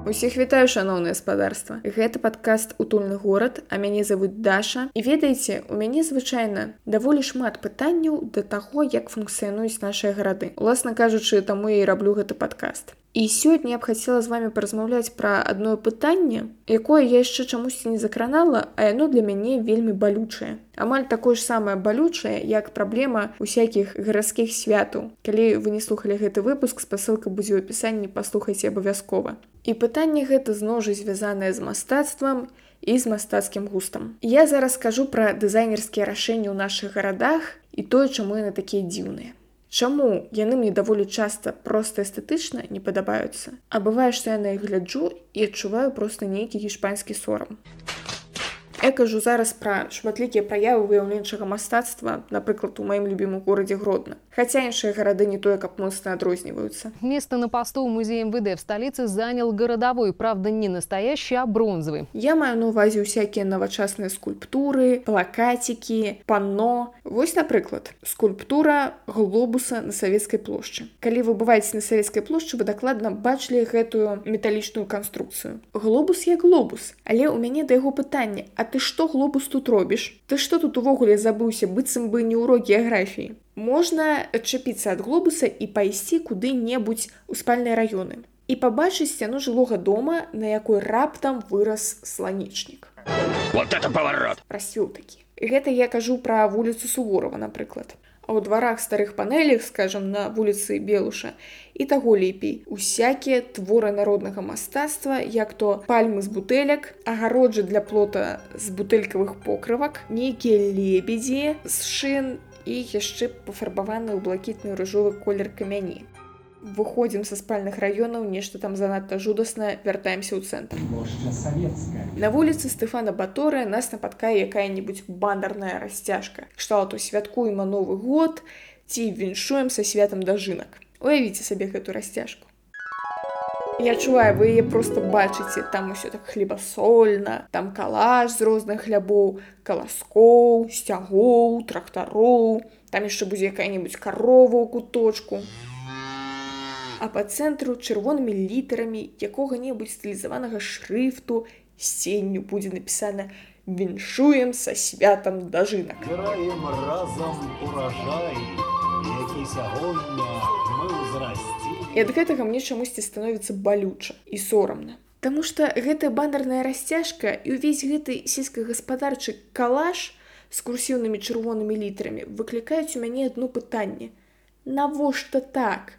Усіх вітаю, шаноўнае спадарства. Гэта падкаст «Утульны горад», а мяне завуць Даша. І ведаеце, у мяне звычайна даволі шмат пытанняў да таго, як функцыянуюць нашыя гарады. Уласна кажучы, таму я і раблю гэты падкаст. І сёння я б хацела з вамі паразмаўляць пра адно пытанне, якое я яшчэ чамусьці не закранала, а яно для мяне вельмі балючае. Амаль такое ж самае балючае, як праблема усякіх гарадскіх святаў. Калі вы не слухалі гэты выпуск, спасылка будзе ў апісанні, паслухайце абавязкова. І пытанне гэта зноў жа звязанае з мастацтвам і з мастацкім густам. Я зараз скажу пра дызайнерскія рашэнні ў нашых гарадах і тое, чаму яны такія дзіўныя. Чаму яны мне даволі часта проста эстэтычна не падабаюцца, а бывае, што я на іх гляджу і адчуваю проста нейкі гішпанскі сорам. Я кажу зараз пра шматлікія праявы выяўленчага мастацтва, напрыклад, у маім любімым горадзе Гродно. Хаця іншыя гарады не тое, каб моцна адрозніваюцца. Место на посту в музее МВД в столице занял городовой, правда, не настоящий, а бронзовый. Я маю на ўвазе ўсякія навачасныя скульптуры, плакацікі, панно. Вось, напрыклад, скульптура глобуса на Савецкай плошчы. Калі вы бываеце на Савецкай плошчы, вы дакладна бачылі гэтую металічную канструкцыю. Глобус як глобус, але ў мяне да яго пытанне: а ты што глобус тут робіш? Ты што тут увогуле забыўся, быццам бы не ўрок геаграфіі? Можна адчапіцца ад глобуса і пайсці куды-небудзь у спальныя раёны і пабачыць сцяну жылога дома, на якой раптам вырас сланечнік. Вот это поворот! Расцвёў такі. Гэта я кажу пра вуліцу Суворова, напрыклад. А ў дварах старых панелях, скажам, на вуліцы Белуша, і таго лепей. Усякія творы народнага мастацтва, як то пальмы з бутэлек, агароджы для плота з бутэлькавых покрывак, нейкія лебедзі з шын і яшчэ пафарбаваны ў блакітны ружовы колер камяні. Выходзім са спальных раёнаў, нешта там занадта жудасна, вяртаемся ў цэнтр. На вуліцы Стэфана Баторыя нас напаткае якая-небудзь бандарная расцяжка. Кшталту святкуем Новы год ці віншуем са святам дажынак. Уявіце сабе гэту расцяжку. Я адчуваю, вы яе проста бачыце, там усё так хлебасольна, там калаш з розных хлябоў, каласкоў, сцягоў, трактароў, там яшчэ будзе якая-небудзь карова ў куточку. А па цэнтру чырвонымі літарамі якога-небудзь стылізаванага шрыфту сценню будзе напісана «Віншуем са святам дажынак». Збіраем разам уражай, які сягоння мы ўзрасцім. І ад гэтага мне чамусьці становіцца балюча і сорамна. Таму што гэтая бандарная расцяжка і ўвесь гэты сельскагаспадарчы калаш з курсіўнымі чырвонымі літарамі выклікаюць у мяне адно пытанне. Навошта так?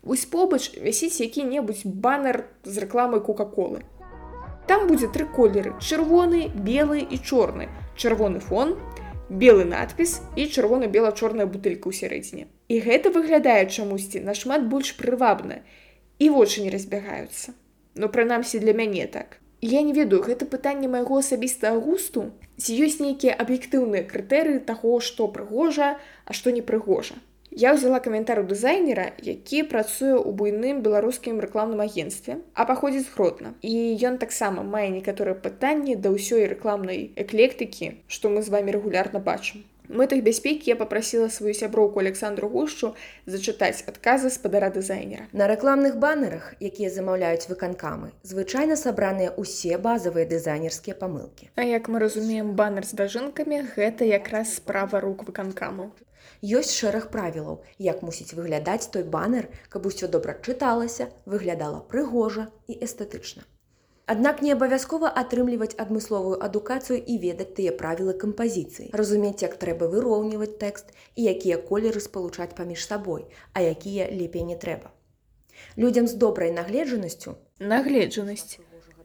Вось побач вісіць які-небудзь банер з рэкламай Кока-колы. Там будзе 3 колеры: чырвоны, белы і чорны. Чырвоны фон, белы надпіс і чырвона-бела-чорная бутэлька ў сярэдзіне. І гэта выглядае чамусьці нашмат больш прывабна. І вочы не разбягаюцца. Ну, прынамсі для мяне так. Я не ведаю, гэта пытанне майго асабістага густу? Ці ёсць нейкія аб'ектыўныя крытэрыі таго, што прыгожа, а што не прыгожа? Я ўзяла каментар у дызайнера, які працуе ў буйным беларускім рэкламным агенцтве, а паходзіць з Гродна. І ён таксама мае некаторыя пытанні да ўсёй рэкламнай эклектыкі, што мы з вамі рэгулярна бачым. У мэтах бяспекі я папрасіла сваю сяброўку Александру Гушчу зачытаць адказы спадара дызайнера. На рэкламных банерах, якія замаўляюць выканкамы, звычайна сабраныя ўсе базавыя дызайнерскія памылкі. А як мы разумеем, банер з дажынкамі – гэта якраз справа рук выканкамаў. Ёсць шэраг правілаў, як мусіць выглядаць той банер, каб усё добра чыталася, выглядала прыгожа і эстэтычна. Аднак не абавязкова атрымліваць адмысловую адукацыю і ведаць тыя правілы кампазіцыі, разумець, як трэба выроўніваць тэкст і якія колеры спалучаць паміж сабой, а якія лепей не трэба. Людзям з добрай нагледжанасцю,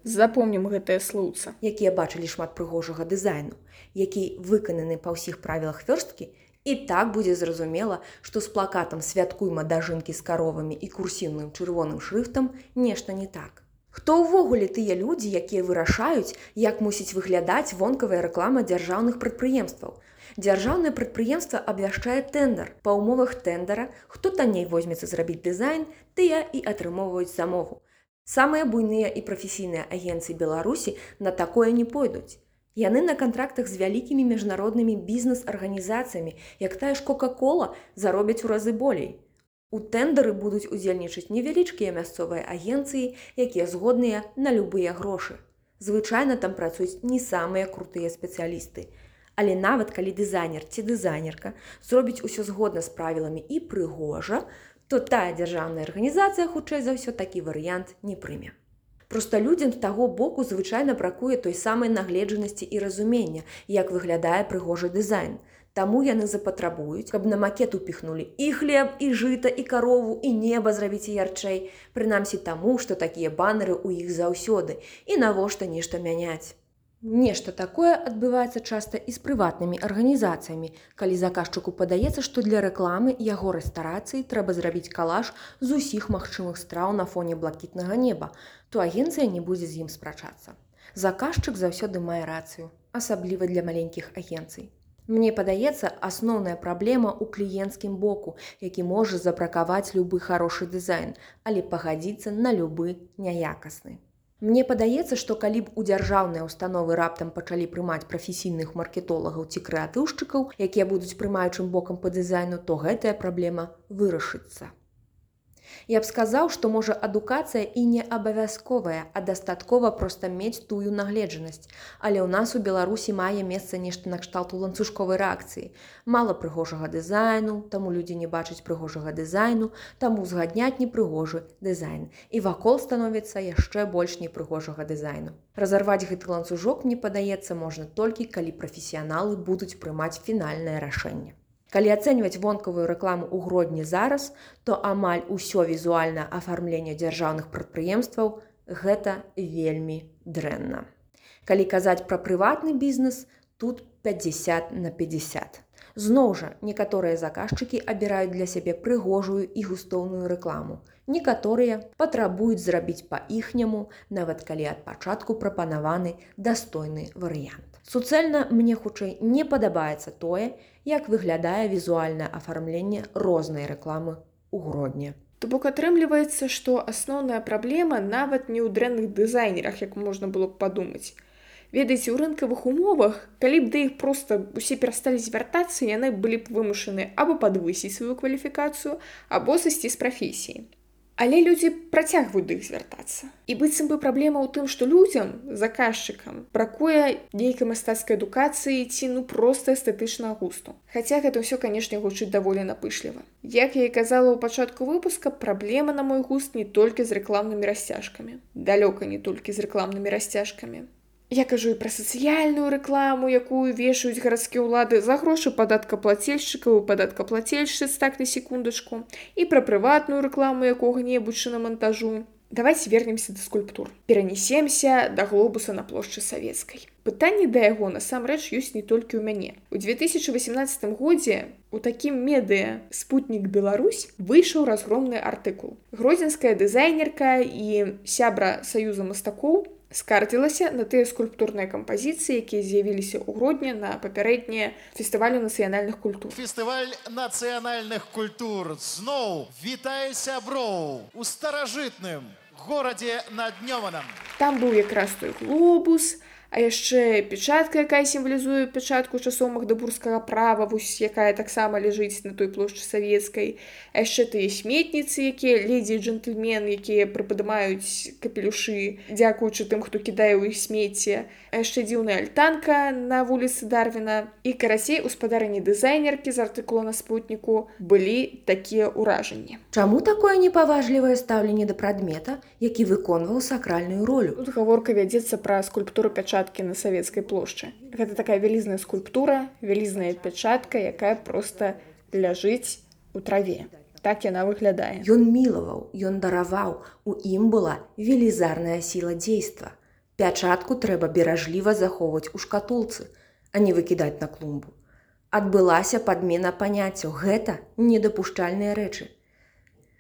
запомнім гэтае слоўца, якія бачылі шмат прыгожага дызайну, які выкананы па ўсіх правілах вёрсткі, і так будзе зразумела, што з плакатам «Святкуйма дажынкі з каровамі» і курсіўным чырвоным шрыфтам нешта не так. Хто ўвогуле тыя людзі, якія вырашаюць, як мусіць выглядаць вонкавая рэклама дзяржаўных прадпрыемстваў? Дзяржаўнае прадпрыемства абвяшчае тэндэр. Па ўмовах тэндара, хто танней возьмецца зрабіць дызайн, тыя і атрымоўваюць замову. Самыя буйныя і прафесійныя агенцыі Беларусі на такое не пойдуць. Яны на кантрактах з вялікімі міжнароднымі бізнес-арганізацыямі, як тая ж Кока-кола, заробяць у разы болей. У тэндары будуць удзельнічаць невялічкія мясцовыя агенцыі, якія згодныя на любыя грошы. Звычайна там працуюць не самыя крутыя спецыялісты. Але нават калі дызайнер ці дызайнерка зробіць усё згодна з правіламі і прыгожа, то тая дзяржаўная арганізацыя, хутчэй за ўсё, такі варыянт не прыме. Проста людзям з таго боку звычайна бракуе той самай нагледжанасці і разумення, як выглядае прыгожы дызайн. Таму яны запатрабуюць, каб на макет упіхнулі і хлеб, і жыта, і карову, і неба зрабіць ярчэй. Прынамсі таму, што такія банеры ў іх заўсёды, і навошта нешта мяняць. Нешта такое адбываецца часта і з прыватнымі арганізацыямі, калі заказчыку падаецца, што для рэкламы яго рэстарацыі трэба зрабіць калаж з усіх магчымых страў на фоне блакітнага неба, то агенцыя не будзе з ім спрачацца. Заказчык заўсёды мае рацыю, асабліва для маленькіх агенцый. Мне падаецца, асноўная праблема ў кліенцкім боку, які можа забракаваць любы харошы дызайн, але пагадзіцца на любы няякасны. Мне падаецца, што калі б у дзяржаўныя ўстановы раптам пачалі прымаць прафесійных маркетолагаў ці крэатыўшчыкаў, якія будуць прымаючым бокам па дызайну, то гэтая праблема вырашыцца. Я б сказаў, што можа адукацыя і не абавязковая, а дастаткова проста мець тую нагледжанасць. Але ў нас у Беларусі мае месца нешта накшталту ланцужковай рэакцыі. Мала прыгожага дызайну, таму людзі не бачаць прыгожага дызайну, таму узгадняць непрыгожы дызайн. І вакол становіцца яшчэ больш непрыгожага дызайну. Разарваць гэты ланцужок, мне падаецца, можна толькі, калі прафесіяналы будуць прымаць фінальнае рашэнне. Калі ацэньваць вонкавую рэкламу ў Гродні зараз, то амаль усё візуальнае афармленне дзяржаўных прадпрыемстваў гэта вельмі дрэнна. Калі казаць пра прыватны бізнес, тут 50/50. Зноў жа, некаторыя заказчыкі абіраюць для сябе прыгожую і густоўную рэкламу. Некаторыя патрабуюць зрабіць па-іхняму, нават калі ад пачатку прапанаваны дастойны варыянт. Суцэльна мне хутчэй не падабаецца тое, як выглядае візуальнае афармленне рознай рэкламы ў Гродні. То бок атрымліваецца, што асноўная праблема нават не ў дрэнных дызайнерах, як можна было б падумаць. Ведаеце, у рынкавых умовах, калі б да іх проста усе перасталі звяртацца, яны былі б вымушаны або падвысіць сваю кваліфікацыю, або сысці з прафесіі. Але людзі працягваюць да іх звяртацца. І быццам бы праблема ў тым, што людзям, заказчыкам, бракуе нейкай мастацкай адукацыі ці проста эстэтычнага густу. Хаця гэта ўсё, канешне, гучыць даволі напышліва. Як я і казала ў пачатку выпуска, праблема, на мой густ, не толькі з рэкламнымі расцяжкамі. Далёка не толькі з рэкламнымі расцяжкамі. Я кажу і пра сацыяльную рэкламу, якую вешаюць гарадскія ўлады за грошы падаткаплацельшчыкаў і падаткаплацельшчыц, так на секундачку, і пра прыватную рэкламу якога-небудзь шынамантажу. Давайте вернемся да скульптур. Перанесемся да глобуса на плошчы Савецкай. Пытанне да яго насамрэч ёсць не толькі ў мяне. У 2018 годзе у такім медыа «Спутнік Беларусь» выйшаў разгромны артыкул. Гродзенская дызайнерка і сябра Саюза мастакоў скардзілася на тыя скульптурныя кампазіцыі, якія з'явіліся ў Гродні на папярэднія фестывалю нацыянальных культур. Фестываль нацыянальных культур зноў вітае сяброў у старажытным горадзе над Днёманам. Там быў якраз той глобус, а яшчэ печатка, якая сімвалізуе печатку часоў магдабургскага права, вось якая таксама ляжыць на той плошчы Савецкай. А яшчэ тыя сметніцы, якія ледзі і джентльмен, якія прыпадымаюць капелюшы, дзякуючы тым, хто кідае ў іх смецце. А яшчэ дзіўная альтанка на вуліцы Дарвіна. І карацей, у спадарні дызайнеркі з артыкула на Спутніку былі такія ўражанні. Чаму такое непаважлівае стаўленне да прадмета, які выконваў сакральную ролю? Тут гаворка вядзецца пра скульптуру пячаткі на Савецкай плошчы. Гэта такая вялізная скульптура, вялізная пячатка, якая проста ляжыць у траве. Так яна выглядае. Ён мілаваў, ён дараваў, у ім была велізарная сіла дзейства. Пячатку трэба беражліва захоўваць у шкатулцы, а не выкідаць на клумбу. Адбылася падмена паняццяў, гэта недапушчальныя рэчы.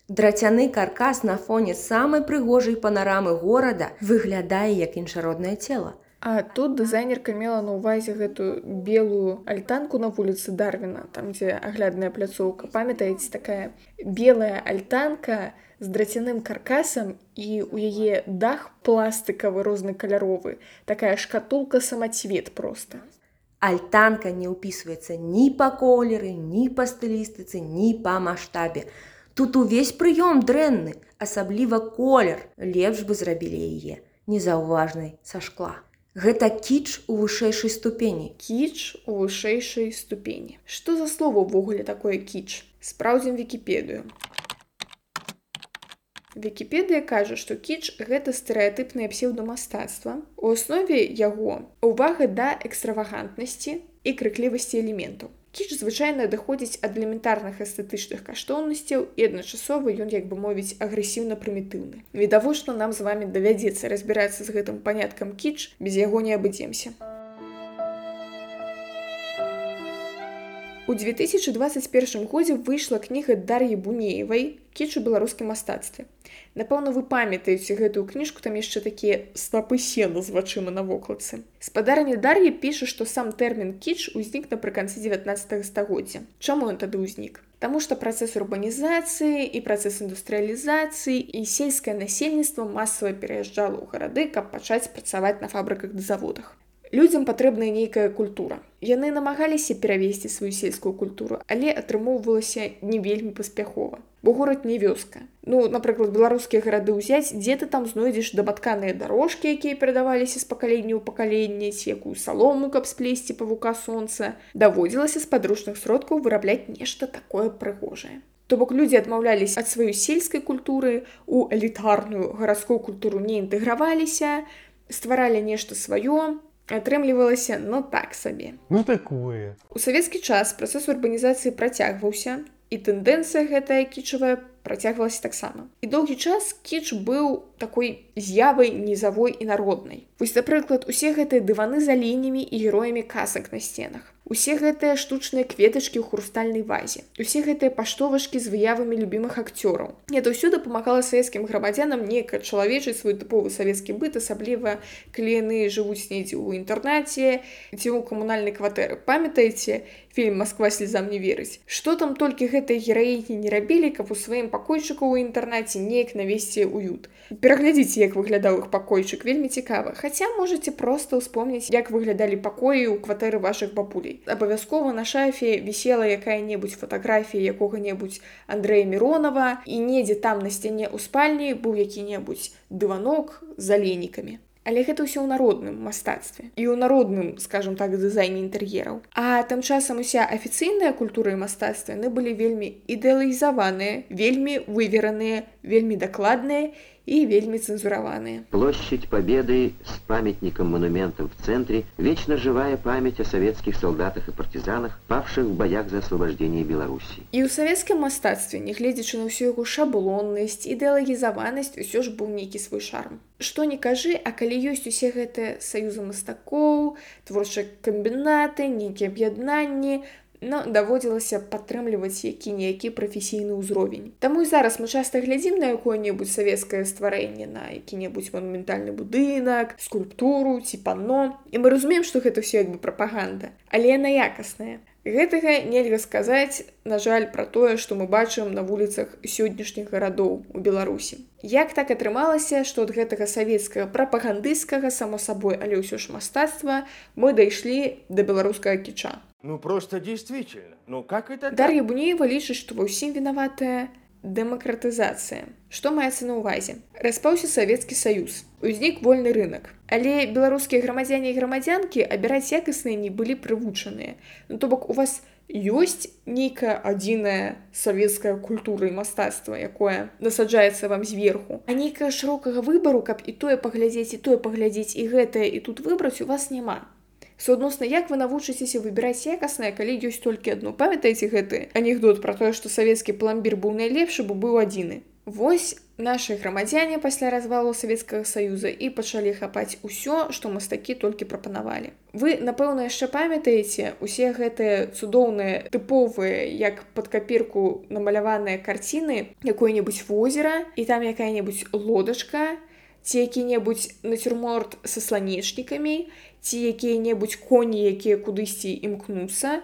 Драцяны каркас на фоне самай прыгожай панарамы горада выглядае як іншароднае цела. А тут дызайнерка мела на ўвазе гэтую белую альтанку на вуліцы Дарвіна, там, дзе аглядная пляцоўка. Памятаеце, такая белая альтанка з драцяным каркасам, і ў яе дах пластыкавы рознакаляровы. Такая шкатулка-самацвет проста. Альтанка не ўпісваецца ні па колеры, ні па стылістыцы, ні па маштабе. Тут увесь прыём дрэнны, асабліва колер. Лепш бы зрабілі яе незаўважнай са шкла. Гэта кіч у вышэйшай ступені. Кіч у вышэйшай ступені. Што за слово ўвогуле такое кіч? Спраўдзім Вікіпедыю. Вікіпедыя кажа, што кіч – гэта стэрэатыпнае псеўдамастацтва. У аснове яго ўвага да экстравагантнасці і крыклівасці элементаў. Кіч звычайна даходзіць ад элементарных эстэтычных каштоўнасцяў і адначасова ён, як бы мовіць, агрэсіўна-прымітыўны. Відавочна, нам з вамі давядзецца разбірацца з гэтым паняткам кіч, без яго не абыдземся. У 2021 годзе выйшла кніга Дар'і Бунеевай «Кіч у беларускім мастацтве». Напэўна, вы памятаеце гэтую кніжку, там яшчэ такія снапы сена з вачыма на вокладцы. Спадарня Дар'я піша, што сам тэрмін кіч узнік напрыканцы 19 стагоддзя. Чаму ён тады ўзнік? Таму што працэс урбанізацыі і працэс індустрыялізацыі і сельскае насельніцтва масава пераязджала ў гарады, каб пачаць працаваць на фабрыках ды заводах. Людзям патрэбная нейкая культура. Яны намагаліся перавесці сваю сельскую культуру, але атрымоўвалася не вельмі паспяхова. Бо горад не вёска. Напрыклад, беларускія гарады ўзяць, дзе ты там знойдзеш дабатканыя дарожкі, якія перадаваліся з пакалення ў пакаленне, ці якую салому, каб сплесці павука сонца. Даводзілася з падручных сродкаў вырабляць нешта такое прыгожае. То бок людзі адмаўляліся ад сваёй сельскай культуры, у элітарную гарадскую культуру не інтэграваліся, стваралі нешта сваё, атрымлівалася, так сабе. Такое. У савецкі час працэс урбанізацыі працягваўся, і тэндэнцыя гэтая кічавая працягвалася таксама. І доўгі час кіч быў такой з'явай нізавой і народнай. Вось, напрыклад, усе гэтыя дываны з аленямі і героямі казак на сценах. Усе гэтыя штучныя кветачкі ў хрустальнай вазе. Усе гэтыя паштовачкі з выявамі любімых акцёраў. Гэта ўсё дапамагала савецкім грамадзянам неяк ачалавечыць свой тыповы савецкі быт, асабліва калі яны жывуць недзе ў інтэрнаце ці ў камунальнай кватэры. Памятаеце фільм «Москва слезам не верыць»? Што там толькі гэтыя гераіні не рабілі, каб у сваім пакойчыку ў інтэрнаце неяк навесці уют. Пераглядзіце, як выглядаў іх пакойчык, вельмі цікава. Хаця можаце проста ўспомніць, як выглядалі пакоі ў кватэры вашых бабулей. Абавязкова на шафе вісела якая-небудзь фатаграфія якога-небудзь Андрэя Міронова, і недзе там на сцяне ў спальні быў які-небудзь дыванок з аленікамі. Але гэта ўсё ў народным мастацтве і ў народным, скажам так, дызайне інтэр'ераў. А тым часам уся афіцыйная культура і мастацтва яны былі вельмі ідэалізаваныя, вельмі вывераныя, вельмі дакладныя и вельми цензураванные. Площадь Победы с памятником-монументом в центре, вечно живая память о советских солдатах и партизанах, павших в боях за освобождение Беларуси. И ў савецкім мастацтве, нягледзячы на ўсю яго шаблоннасць, ідэалагізаванасць, усё ж быў нейкі свой шарм. Што не кажы, а калі ёсць усе гэтыя саюзы мастакоў, творчыя камбінаты, нейкія аб'яднанні, даводзілася падтрымліваць які-ніякі прафесійны ўзровень. Таму і зараз мы часта глядзім на якое-небудзь савецкае стварэнне, на які-небудзь манументальны будынак, скульптуру ці панно, і мы разумеем, што гэта ўсё як бы прапаганда, але яна якасная. Гэтага нельга сказаць, на жаль, пра тое, што мы бачым на вуліцах сённяшніх гарадоў у Беларусі. Як так атрымалася, што ад гэтага савецкага прапагандысцкага, само сабой, але ўсё ж мастацтва, мы дайшлі да беларускага кіча? Просто действительно. Как это? Дар'я Бунеева лічыць, што ва ўсім вінаватая дэмакратызацыя. Што маецца на ўвазе? Распаўся Савецкі Саюз. Узнік вольны рынок. Але беларускія грамадзяне і грамадзянкі абіраць якасныя не былі прывучаныя. То бок у вас ёсць нейкая адзіная савецкая культура і мастацтва, якое насаджаецца вам зверху. А нейкага шырокага выбару, каб і тое паглядзець, і гэтае, і тут выбраць у вас няма. Суадносна, як вы навучыцеся выбіраць якаснае, калі ёсць толькі адно? Памятаеце гэты анекдот пра тое, што савецкі пламбір быў найлепшы, бо быў адзіны? Вось нашы грамадзяне пасля развалу Савецкага Саюза і пачалі хапаць усё, што мастакі толькі прапанавалі. Вы, напэўна, яшчэ памятаеце усе гэтыя цудоўныя, тыповыя, як пад капірку намаляваныя карціны, якое-небудзь возера, і там якая-небудзь лодачка, ці які-небудзь нацюрморт са сланечнікамі, ці якія-небудзь коні, якія кудысьці імкнуцца.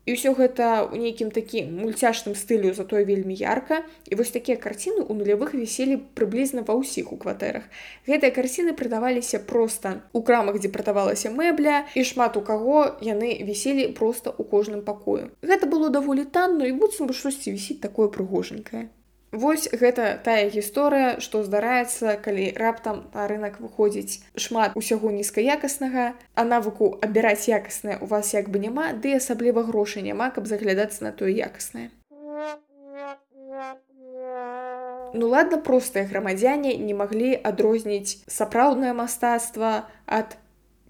І ўсё гэта ў нейкім такім мульцяшным стылю, затое вельмі ярка. І вось такія карціны ў нулявых віселі прыблізна ва ўсіх у кватэрах. Гэтыя карціны прадаваліся проста ў крамах, дзе прадавалася мэбля, і шмат у каго яны віселі проста ў кожным пакою. Гэта было даволі танна, і быццам бы штосьці вісіць такое прыгожанькае. Вось гэта тая гісторыя, што здараецца, калі раптам на рынок выходзіць шмат усяго нізкаякаснага, а навыку абіраць якаснае у вас як бы няма, ды асабліва грошай няма, каб заглядацца на тое якаснае. Ну ладно, простыя грамадзяне не маглі адрозніць сапраўднае мастацтва ад,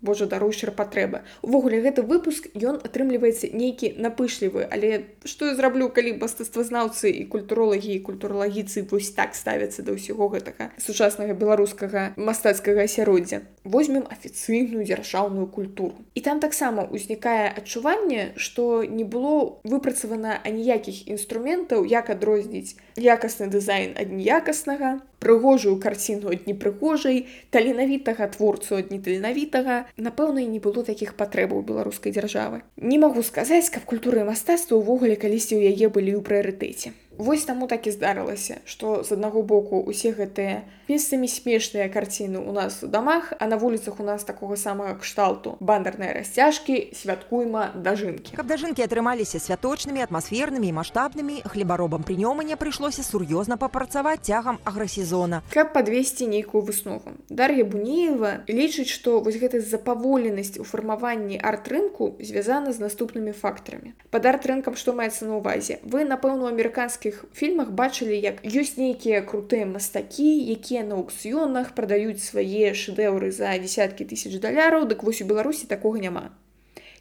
божа даруй, шырпатрэба. Увогуле, гэты выпуск, ён атрымліваецца нейкі напышлівы, але што я зраблю, калі мастацтвазнаўцы і культуролагі і культуралагіцы вось так ставяцца да ўсяго гэтага сучаснага беларускага мастацкага асяроддзя. Возьмем афіцыйную дзяржаўную культуру. І там таксама ўзнікае адчуванне, што не было выпрацавана аніякіх інструментаў, як адрозніць якасны дызайн ад неякаснага, прыгожую карціну ад непрыгожай, таленавітага творцу ад неталенавітага. Напэўна, і не было такіх патрэбаў беларускай дзяржавы. Не магу сказаць, каб культура і мастацтва ўвогуле калісьці ў яе былі ў прыярытэце. Вось таму так і здарылася, што з аднаго боку усе гэтыя месцамі смешныя карціны ў нас у дамах, а на вуліцах у нас такога самага кшталту бандарныя расцяжкі, святкуйма дажынкі. Каб дажынкі атрымаліся святочнымі, атмасфернымі і маштабнымі, хлебаробам прынёмання прыйшлося сур'ёзна папрацаваць цягам аграсезона. Каб падвесці нейкую выснову. Дар'я Бунеева лічыць, што вось гэта запаволенасць у фармаванні арт-рынку звязана з наступнымі фактарамі. Пад арт-рынкам што маецца на ўвазе? Вы, напэўна, у амерыканскіх фільмах бачылі, як ёсць нейкія крутыя мастакі, якія на аукцыёнах прадаюць свае шэдэўры за дзесяткі тысяч даляраў, дык вось у Беларусі такога няма.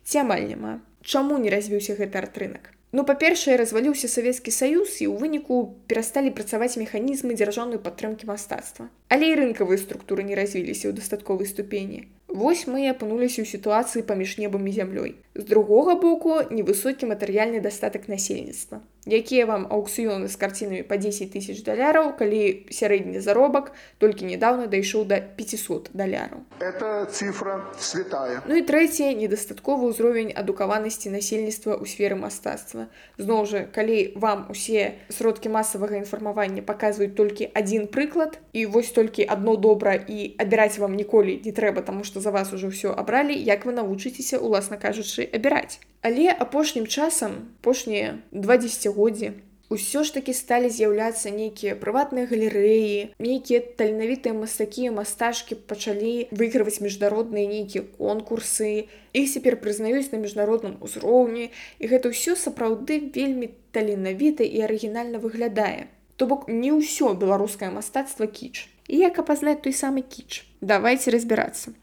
Ці амаль няма. Чаму не развіўся гэты арт-рынак? Ну, па-першае, разваліўся Савецкі Саюз, і ў выніку перасталі працаваць механізмы дзяржаўнай падтрымкі мастацтва. Але і рынкавыя структуры не развіліся ў дастатковай ступені. Вось мы і апынуліся ў сітуацыі паміж небам і зямлёй. З другога боку, невысокі матэрыяльны дастатак насельніцтва. Якія вам аукцыёны з карцінамі па 10 тысяч даляраў, калі сярэдні заробак толькі нядаўна дайшоў да 500 даляраў. Это цифра святая. Ну і трэцяе, недастатковы ўзровень адукаванасці насельніцтва ў сферы мастацтва. Зноў жа, калі вам усе сродкі масавага інфармавання паказваюць толькі адзін прыклад, і вось толькі адно добра, і абіраць вам ніколі не трэба, таму што за вас ужо ўсё абралі, як вы навучыцеся, уласна кажучы, абіраць. Але апошнім часам, апошнія 2 дзесяцігоддзі, усё ж такі сталі з'яўляцца нейкія прыватныя галерэі, нейкія таленавітыя мастакі і мастачкі пачалі выйграваць міжнародныя нейкія конкурсы, іх цяпер прызнаюць на міжнародным узроўні, і гэта ўсё сапраўды вельмі таленавіта і арыгінальна выглядае. То бок не ўсё беларускае мастацтва кіч. І як апазнаць той самы кіч? Давайце разбірацца.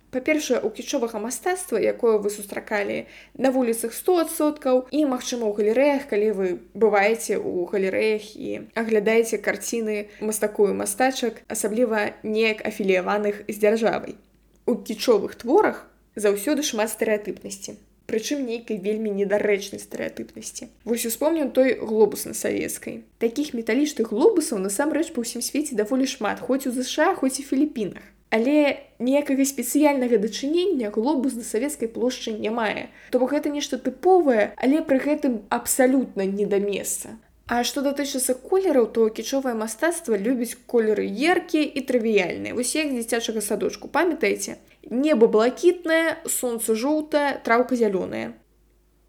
Па-першае, у кічовага мастацтва, якое вы сустракалі на вуліцах 100%, і, магчыма, у галерэях, калі вы бываеце ў галерэях і аглядаеце карціны мастакоў і мастачак, асабліва неяк афіліяваных з дзяржавай. У кічовых творах заўсёды шмат стэрэатыпнасці. Прычым нейкай вельмі недарэчнай стэрэатыпнасці. Вось успомню той глобус на савецкай. Такіх металічных глобусаў насамрэч па ўсім свеце даволі шмат, хоць у ЗША, хоць і Філіпінах. Але ніякага спецыяльнага дачынення глобус да савецкай плошчы не мае. То бок гэта нешта тыповае, але пры гэтым абсалютна не да месца. А што датычыцца колераў, то кічовае мастацтва любіць колеры яркія і трывіяльныя. Вось як з дзіцячага садочку, памятаеце? Неба блакітнае, сонца жоўтае, траўка зялёная.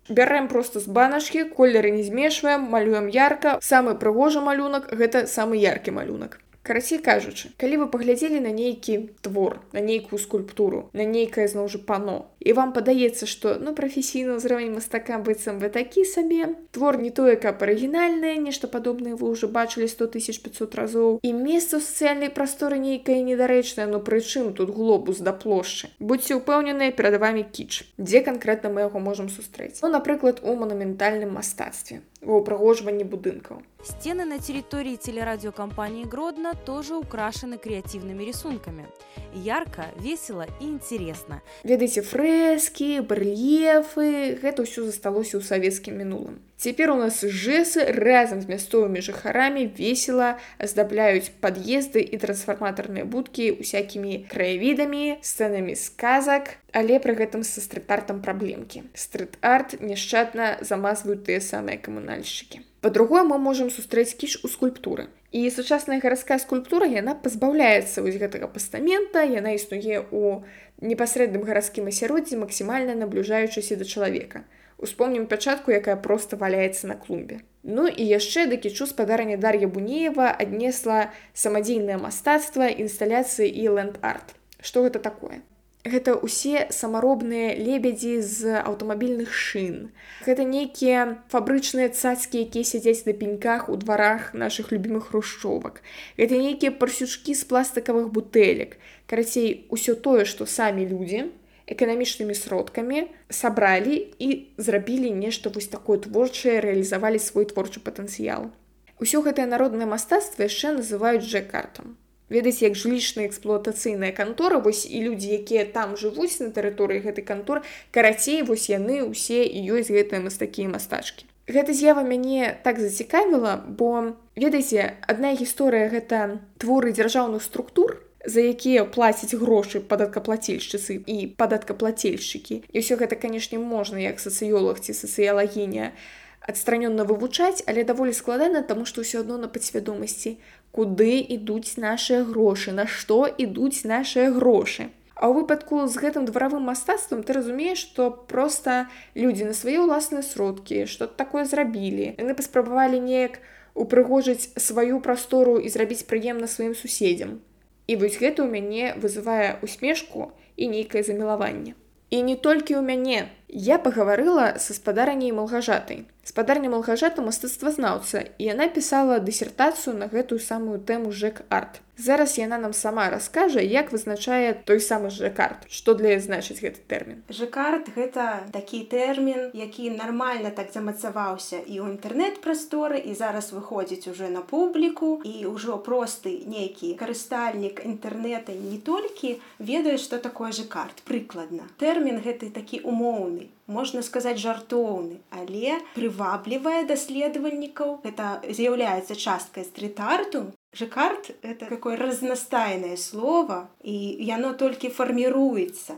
Бярэм проста з баначкі, колеры не змешваем, малюем ярка. Самы прыгожы малюнак – гэта самы яркі малюнак. Карацей кажучы, калі вы паглядзелі на нейкі твор, на нейкую скульптуру, на нейкае, зноў жа, пано, і вам падаецца, што, прафесійны ўзровень мастака быццам вы такі сабе, твор не тое, каб арыгінальнае, нешта падобнае вы ўжо бачылі 100 500 разоў, і месца ў сацыяльнай прасторы нейкае недарэчнае, прычым тут глобус да плошчы. Будзьце ўпэўненыя, перад вамі кіч. Дзе канкрэтна мы яго можам сустрэць? Напрыклад, у манументальным мастацтве, ва ўпрыгожванні будынкаў. Стены на территории телерадиокомпании Гродно тоже украшены креативными рисунками. Ярко, весело и интересно. Ведаеце, фрэскі, барэльефы, гэта ўсё засталося ў савецкім мінулым. Цяпер у нас жэсы разам з мясцовымі жыхарамі весела аздабляюць пад'езды і трансфарматарныя будкі усякімі краявідамі, сцэнамі сказак, але пры гэтым са стрыт-артам праблемкі. Стрыт-арт няшчадна замазваюць тыя самыя камунальшчыкі. Па-другое, мы можам сустрэць кіч у скульптуры. І сучасная гарадская скульптура, яна пазбаўляецца вось гэтага пастамента, яна існуе ў непасрэдным гарадскім асяроддзі, максімальна набліжаючыся да чалавека. Успомнім пячатку, якая проста валяецца на клумбе. Ну і яшчэ да кічу спадарня Дар'я Бунеева аднесла самадзейнае мастацтва, інсталяцыі і ленд-арт. Што гэта такое? Гэта ўсе самаробныя лебедзі з аўтамабільных шын. Гэта нейкія фабрычныя цацкі, якія сядзяць на пеньках у дварах нашых любімых хрушчовак. Гэта нейкія парсючкі з пластыкавых бутэлек. Карацей, усё тое, што самі людзі эканамічнымі сродкамі сабралі і зрабілі нешта вось такое творчае, рэалізавалі свой творчы патэнцыял. Усё гэтае народнае мастацтва яшчэ называюць жэк-артам. Ведаеце, як жылічная эксплуатацыйная кантора, вось і людзі, якія там жывуць на тэрыторыі гэтай канторы, карацей, вось яны ўсе і ёсць гэтыя мастакі і мастачкі. Гэта з'ява мяне так зацікавіла, бо, ведаеце, адна гісторыя гэта творы дзяржаўных структур, за якія плацяць грошы падаткаплацельшчыцы і падаткаплацельшчыкі. І ўсё гэта, канешне, можна, як сацыёлог ці сацыялагіня, адстранённа вывучаць, але даволі складана, таму што ўсё адно на падсвядомасці, куды ідуць нашыя грошы, на што ідуць нашыя грошы. А ў выпадку з гэтым дваравым мастацтвам ты разумееш, што проста людзі на свае ўласныя сродкі, што такое зрабілі. Яны паспрабавалі неяк упрыгожыць сваю прастору і зрабіць прыемна сваім суседзям. І вось гэта ў мяне вызывае усмешку і нейкае замілаванне. І не толькі ў мяне. Я пагаварыла са спадарняй Малгажатай. Спадарня Малгажата мастацтвазнаўца, і яна пісала дысертацыю на гэтую самую тэму жэк-арт. Зараз яна нам сама раскажа, як вызначае той самы жэк-арт. Што для яе значыць гэты тэрмін? Жэк-арт – гэта такі тэрмін, які нармальна так замацаваўся і ў інтэрнэт-прасторы, і зараз выходзіць уже на публіку, і ўжо просты нейкі карыстальнік інтэрнэта не толькі ведае, што такое жэк-арт, прыкладна. Тэрмін гэты такі умоўны, можна сказаць жартоўны, але прываблівае даследавальнікаў. Гэта з'яўляецца часткай стрит-арту. Жэк-арт – это такое разнастайнае слово, і яно толькі фарміруецца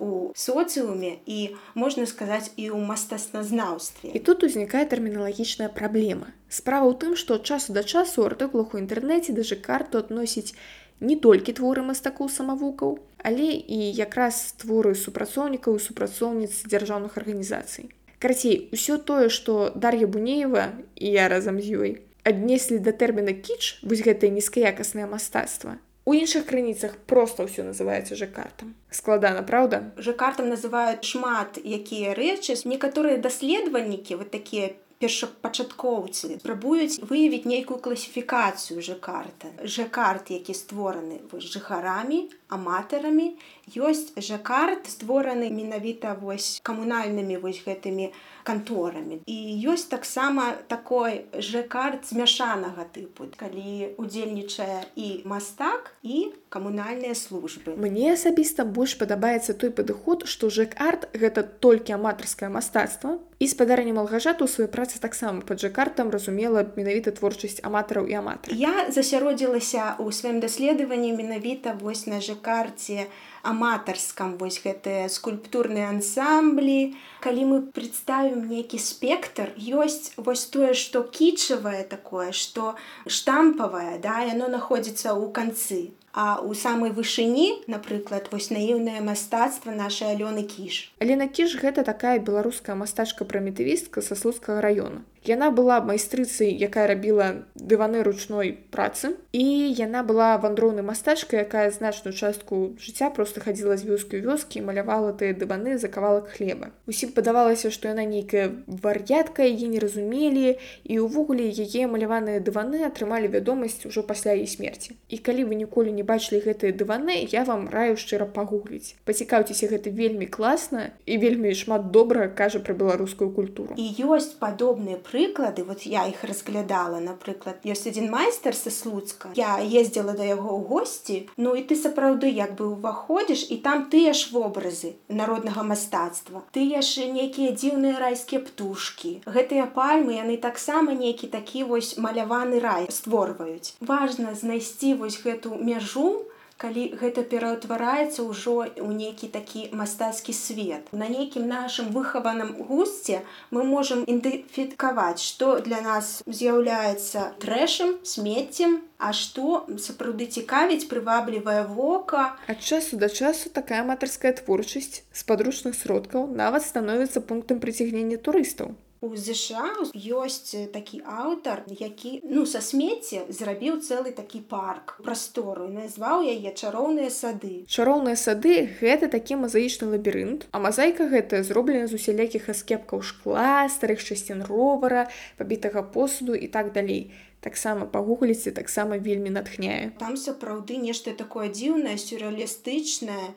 ў соцыуме і, можна сказаць, і ў мастацтвазнаўстве. І тут узнікае тэрміналагічная праблема. Справа ў тым, што ад часу да часу ў артыкулах у інтэрнэце да жэк-арту адносіць не толькі творы мастакоў-самавукаў, але і якраз творы супрацоўнікаў і супрацоўніц дзяржаўных арганізацый. Карацей, усё тое, што Дар'я Бунеева і я разам з ёй аднеслі да тэрміна кіч, вось гэтае нізкаякаснае мастацтва, у іншых крыніцах проста ўсё называецца жэк-артам. Складана, праўда? Жэк-артам называюць шмат якія рэчы. Некаторыя даследавальнікі, вот такія першапачаткоўцы, спрабуюць выявіць нейкую класіфікацыю жэк-арта. Жэк-арт, які створаны жыхарамі, аматарамі. Ёсць жэк-арт, створаны менавіта камунальнымі гэтымі канторамі. І ёсць таксама такой жэк-арт змяшанага тыпу, калі удзельнічае і мастак, і камунальныя службы. Мне асабіста больш падабаецца той падыход, што жэк-арт – гэта толькі аматарскае мастацтва, і спадарня Малгажата ў сваёй працы таксама пад жэк-артам разумела менавіта творчасць аматараў і аматараў. Я засяродзілася ў сваім даследаванні менавіта на жэк-арце аматарскам, гэтыя скульптурныя ансамблі. Калі мы прадставім нейкі спектр, ёсць тое, што кічавае такое, што штампавае, яно находзіцца ў канцы. А ў самай вышыні, напрыклад, наіўнае мастацтва нашай Алёны Кіш. Алена Кіш – гэта такая беларуская мастачка-прымітывістка са Слуцкага раёна. Яна была майстрыцай, якая рабіла дываны ручной працы, і яна была вандроўнай мастачкай, якая значную частку жыцця проста хадзіла з вёскі ў вёскі і малявала тыя дываны за кавалак хлеба. Усім падавалася, што яна нейкая вар'ятка, яе не разумелі, і ўвогуле яе маляваныя дываны атрымалі вядомасць ужо пасля яе смерці. І калі вы ніколі не бачылі гэтыя дываны, я вам раю шчыра пагугліць. Пацікаўцеся, гэта вельмі класна і вельмі шмат добра кажа пра беларускую культуру. І ёсць падобныя прыклады, я іх разглядала, напрыклад, ёсць адзін майстар са Слуцка. Я ездзіла да яго ў госці, і ты сапраўды ўваходзіш, і там тыя ж вобразы народнага мастацтва, тыя ж нейкія дзіўныя райскія птушкі. Гэтыя пальмы, яны таксама нейкі такі маляваны рай створваюць. Важна знайсці гэту мяжу калі гэта пераўтвараецца ўжо ў нейкі такі мастацкі свет. На нейкім нашым выхаваным гусце мы можам ідэнтыфікаваць, што для нас з'яўляецца трэшам, смеццем, а што сапраўды цікавіць, прываблівае вока. Ад часу да часу такая аматарская творчасць з падручных сродкаў нават становіцца пунктам прыцягнення турыстаў. У ЗША ёсць такі аўтар, які са смецця зрабіў цэлы такі парк, прастору, і назваў яе чароўныя сады. Чароўныя сады — гэта такі мазаічны лабірынт, а мазаіка гэтая зроблена з усялякіх аскепкаў шкла, старых часцін ровара, пабітага посуду і так далей. Таксама пагугліце, таксама вельмі натхняе. Там сапраўды нешта такое дзіўнае, сюррэалістычнае.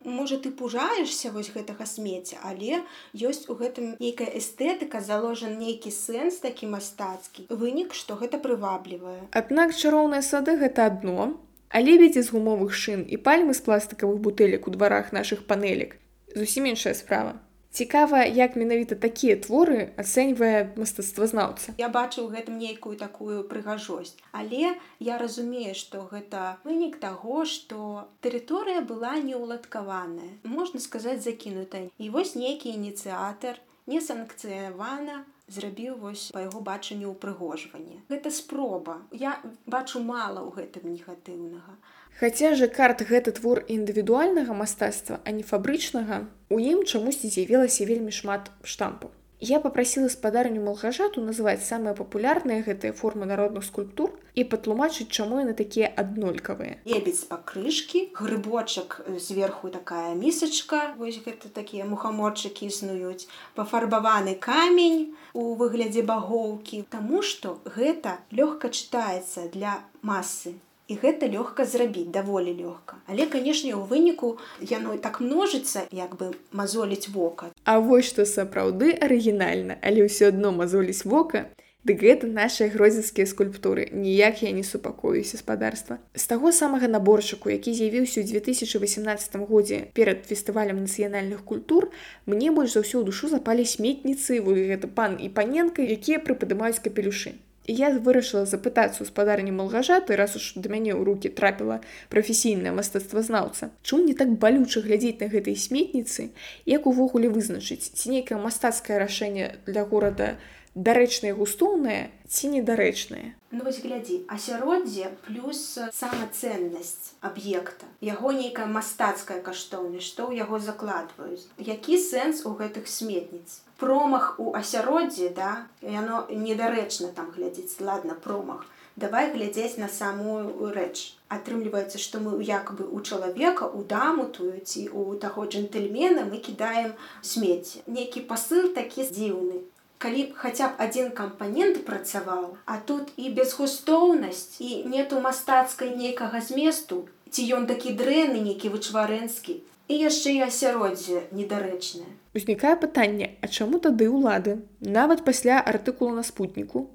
Можа, ты пужаешся вось гэтага смецця, але ёсць у гэтым нейкая эстэтыка, заложен нейкі сэнс такі мастацкі. Вынік, што гэта прываблівае. Аднак чароўныя сады — гэта адно, а лебедзі з гумовых шын і пальмы з пластыкавых бутэлек у дварах нашых панелек — зусім іншая справа. Цікава, як менавіта такія творы ацэньвае мастацтвазнаўца. Я бачу ў гэтым нейкую такую прыгажосць, але я разумею, што гэта вынік таго, што тэрыторыя была неўладкаваная, можна сказаць, закінутая. І вось нейкі ініцыятар несанкцыянавана зрабіў вось па яго бачанню ўпрыгожванне. Гэта спроба. Я бачу мала ў гэтым негатыўнага. Хаця жакард — гэта твор індывідуальнага мастацтва, а не фабрычнага, у ім чамусьці з'явілася вельмі шмат штампаў. Я папрасіла спадарню Малгажату назваць самыя папулярныя гэтыя формы народных скульптур і патлумачыць, чаму яны такія аднолькавыя. Лебедзь пакрышкі, грыбочак зверху такая місачка, вось гэта такія мухаморчыкі існуюць, пафарбаваны камень у выглядзе багоўкі, таму што гэта лёгка чытаецца для масы. І гэта лёгка зрабіць, даволі лёгка. Але, канешне, у выніку яно так множыцца, як бы мазоліць вока. А вось што сапраўды арыгінальна, але ўсё адно мазоліць вока, дык гэта нашыя гродзенскія скульптуры. Ніяк я не супакоюся, спадарства. З таго самага наборчыку, які з'явіўся ў 2018 годзе перад фестывалем нацыянальных культур, мне больш за ўсё ў душу запалі сметніцы, гэта пан і паненка, якія прыпадымаюць капелюшы. І я вырашыла запытацца ў спадарні Малгажаты, раз уж да мяне ў рукі трапіла прафесійная мастацтвазнаўца, чому не так балюча глядзець на гэтай сметніцы, як увогуле вызначыць, ці нейкае мастацкае рашэнне для горада дарэчнае і густоўнае, ці недарэчнае. Ну вось глядзі, асяроддзе плюс самацэннасць аб'екта, яго нейкая мастацкая каштоўнасць, што ў яго закладваюць. Які сэнс у гэтых сметніц? Промах у асяроддзі, да, яно недарэчна там глядзець, ладно, промах. Давай глядзець на самую рэч. Атрымліваецца, што мы як бы у чалавека, у даму тую ці у таго джентльмена мы кідаем смецце. Нейкі пасыл такі дзіўны. Калі хаця б адзін кампанент працаваў, а тут і безгустоўнасць, і нету мастацкай нейкага зместу, ці ён такі дрэнны, нейкі вычварэнскі, і яшчэ і асяроддзе недарэчнае. Узнікае пытанне, а чаму тады ўлады, нават пасля артыкула на спутніку,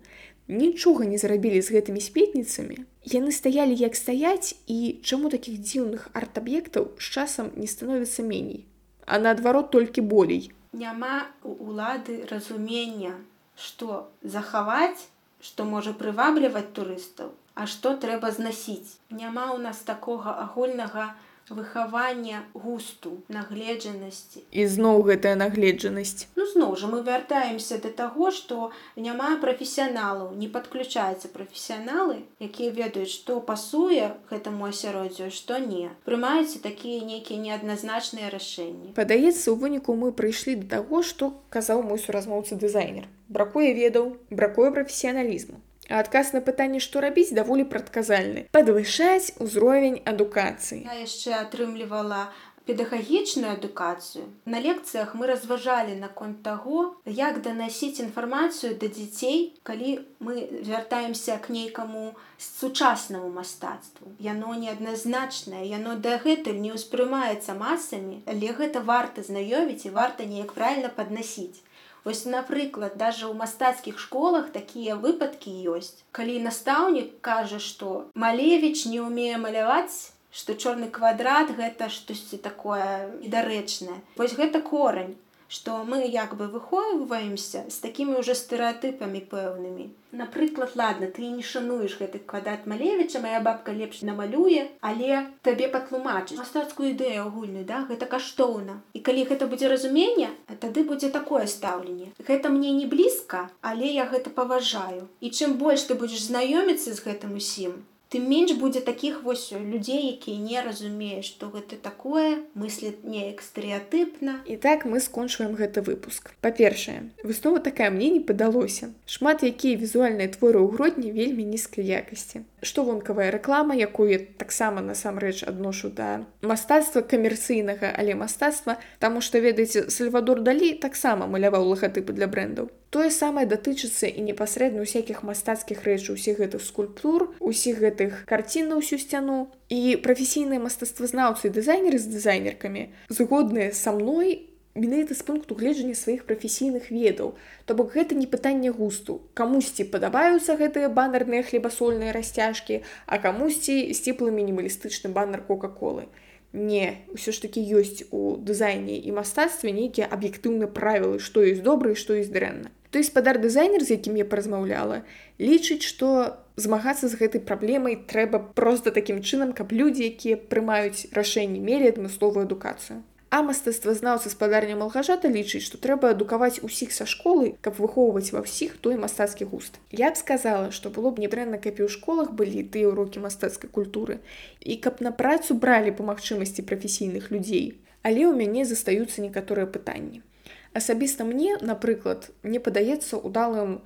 нічога не зрабілі з гэтымі сметніцамі? Яны стаялі як стаяць, і чаму такіх дзіўных арт-аб'ектаў з часам не становіцца меней, а наадварот толькі болей? Няма у улады разумення, што захаваць, што можа прывабліваць турыстаў, а што трэба знасіць. Няма ў нас такога агульнага выхавання густу, нагледжанасці. І зноў гэтая нагледжанасць. Ну, зноў жа, мы вяртаемся да таго, што няма прафесіяналаў, не падключаюцца прафесіяналы, якія ведаюць, што пасуе гэтаму асяроддзю, што не. Прымаюцца такія нейкія неадназначныя рашэнні. Падаецца, у выніку мы прыйшлі да таго, што казаў мой суразмоўца-дызайнер. Бракуе ведаў, бракуе прафесіяналізму. А адказ на пытанне, што рабіць, даволі прадказальны. Падвышаць узровень адукацыі. Я яшчэ атрымлівала педагагічную адукацыю. На лекцыях мы разважалі наконт таго, як данасіць інфармацыю да дзяцей, калі мы вяртаемся к нейкаму сучаснаму мастацтву. Яно неадназначнае, яно дагэтуль не ўспрымаецца масамі, але гэта варта знаёміць і варта неяк правільна паднасіць. Вось, напрыклад, даже ў мастацкіх школах такія выпадкі ёсць. Калі настаўнік кажа, што Малевіч не ўмее маляваць, што чорны квадрат гэта штосьці такое недарэчнае. Вось гэта корань. што мы як бы выхоўваемся з такімі ўжо стэрэатыпамі пэўнымі. Напрыклад, ладно, ты не шануеш гэты квадрат Малевіча, мая бабка лепш намалюе, але табе патлумачыць мастацкую ідэю агульную, да? Гэта каштоўна. І калі гэта будзе разуменне, тады будзе такое стаўленне. Гэта мне не блізка, але я гэта паважаю. І чым больш ты будзеш знаёміцца з гэтым усім, тым менш будзе такіх вось людзей, якія не разумеюць, што гэта такое, мысляць неяк стэрэатыпна. І так мы скончваем гэты выпуск. Па-першае, выснова такая мне не падалося. Шмат якія візуальныя творы ў Гродні вельмі нізкай якасці. Што вонкавая рэклама, якую я таксама насамрэч адношу да мастацтва камерцыйнага, але мастацтва, таму што, ведаеце, Сальвадор Далі таксама маляваў лагатыпы для брэндаў. Тое самае датычыцца і непасрэдна ўсякіх мастацкіх рэчаў, усіх гэтых скульптур, усіх гэтых карцін на ўсю сцяну. І прафесійныя мастацтвазнаўцы і дызайнеры з дызайнеркамі згодныя са мной менавіта з пункту гледжання сваіх прафесійных ведаў. То бок гэта не пытанне густу. Камусьці падабаюцца гэтыя баннерныя хлебасольныя расцяжкі, а камусьці сціплы мінімалістычны баннер Кока-колы. Не, ўсё ж такі ёсць у дызайне і мастацтве нейкія аб'ектыўныя правілы, што ёсць добра і што ёсць дрэнна. Той спадар-дызайнер, з якім я паразмаўляла, лічыць, што змагацца з гэтай праблемай трэба проста такім чынам, каб людзі, якія прымаюць рашэнні, мелі адмысловую адукацыю. А мастацтвазнаўца спадарня Малгажата лічыць, што трэба адукаваць усіх са школы, каб выхоўваць ва ўсіх той мастацкі густ. Я б сказала, што было б недрэнна, каб і ў школах былі тыя ўрокі мастацкай культуры, і каб на працу бралі па магчымасці прафесійных людзей. Але ў мяне застаюцца некаторыя пытанні. Асабіста мне, напрыклад, мне падаецца удалым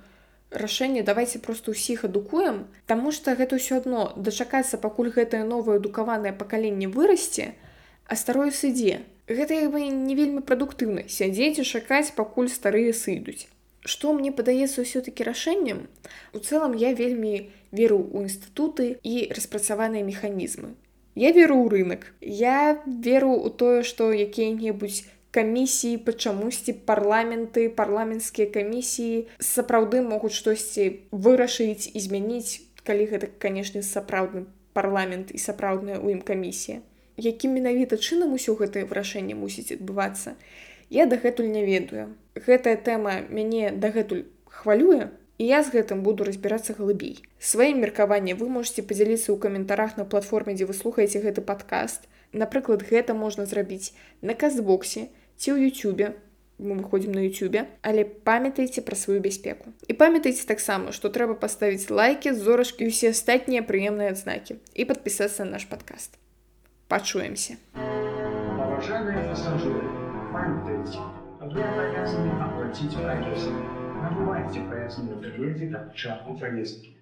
рашэнне давайце проста ўсіх адукуем, таму што гэта ўсё адно дачакацца, пакуль гэтае новае адукаванае пакаленне вырасце, а старое сыдзе. Гэта як бы не вельмі прадуктыўна сядзець і чакаць, пакуль старыя сыдуць. Што мне падаецца ўсё-такі рашэннем? У цэлым я вельмі веру ў інстытуты і распрацаваныя механізмы. Я веру ў рынак. Я веру ў тое, што якія-небудзь камісіі, па чамусьці парламенты, парламенцкія камісіі сапраўды могуць штосьці вырашыць і змяніць, калі гэта, канешне, сапраўдны парламент і сапраўдная ў ім камісія. Якім менавіта чынам усё гэтае вырашэнне мусіць адбывацца, я дагэтуль не ведаю. Гэтая тэма мяне дагэтуль хвалюе, і я з гэтым буду разбірацца глыбей. Сваім меркаваннем вы можаце падзяліцца ў каментарах на платформе, дзе вы слухаеце гэты падкаст. Напрыклад, гэта можна зрабіць на Кастбоксе ці ў Ютубе. Мы выходзім на Ютубе, але памятайце пра сваю бяспеку. І памятайце таксама, што трэба паставіць лайкі, зорачкі і ўсе астатнія прыемныя адзнакі і падпісацца на наш падкаст. Пачуемся. Уважаемые пассажиры, памятайте, вы обязаны оплатить проезд. Набывайте проездные билеты к началу поездки.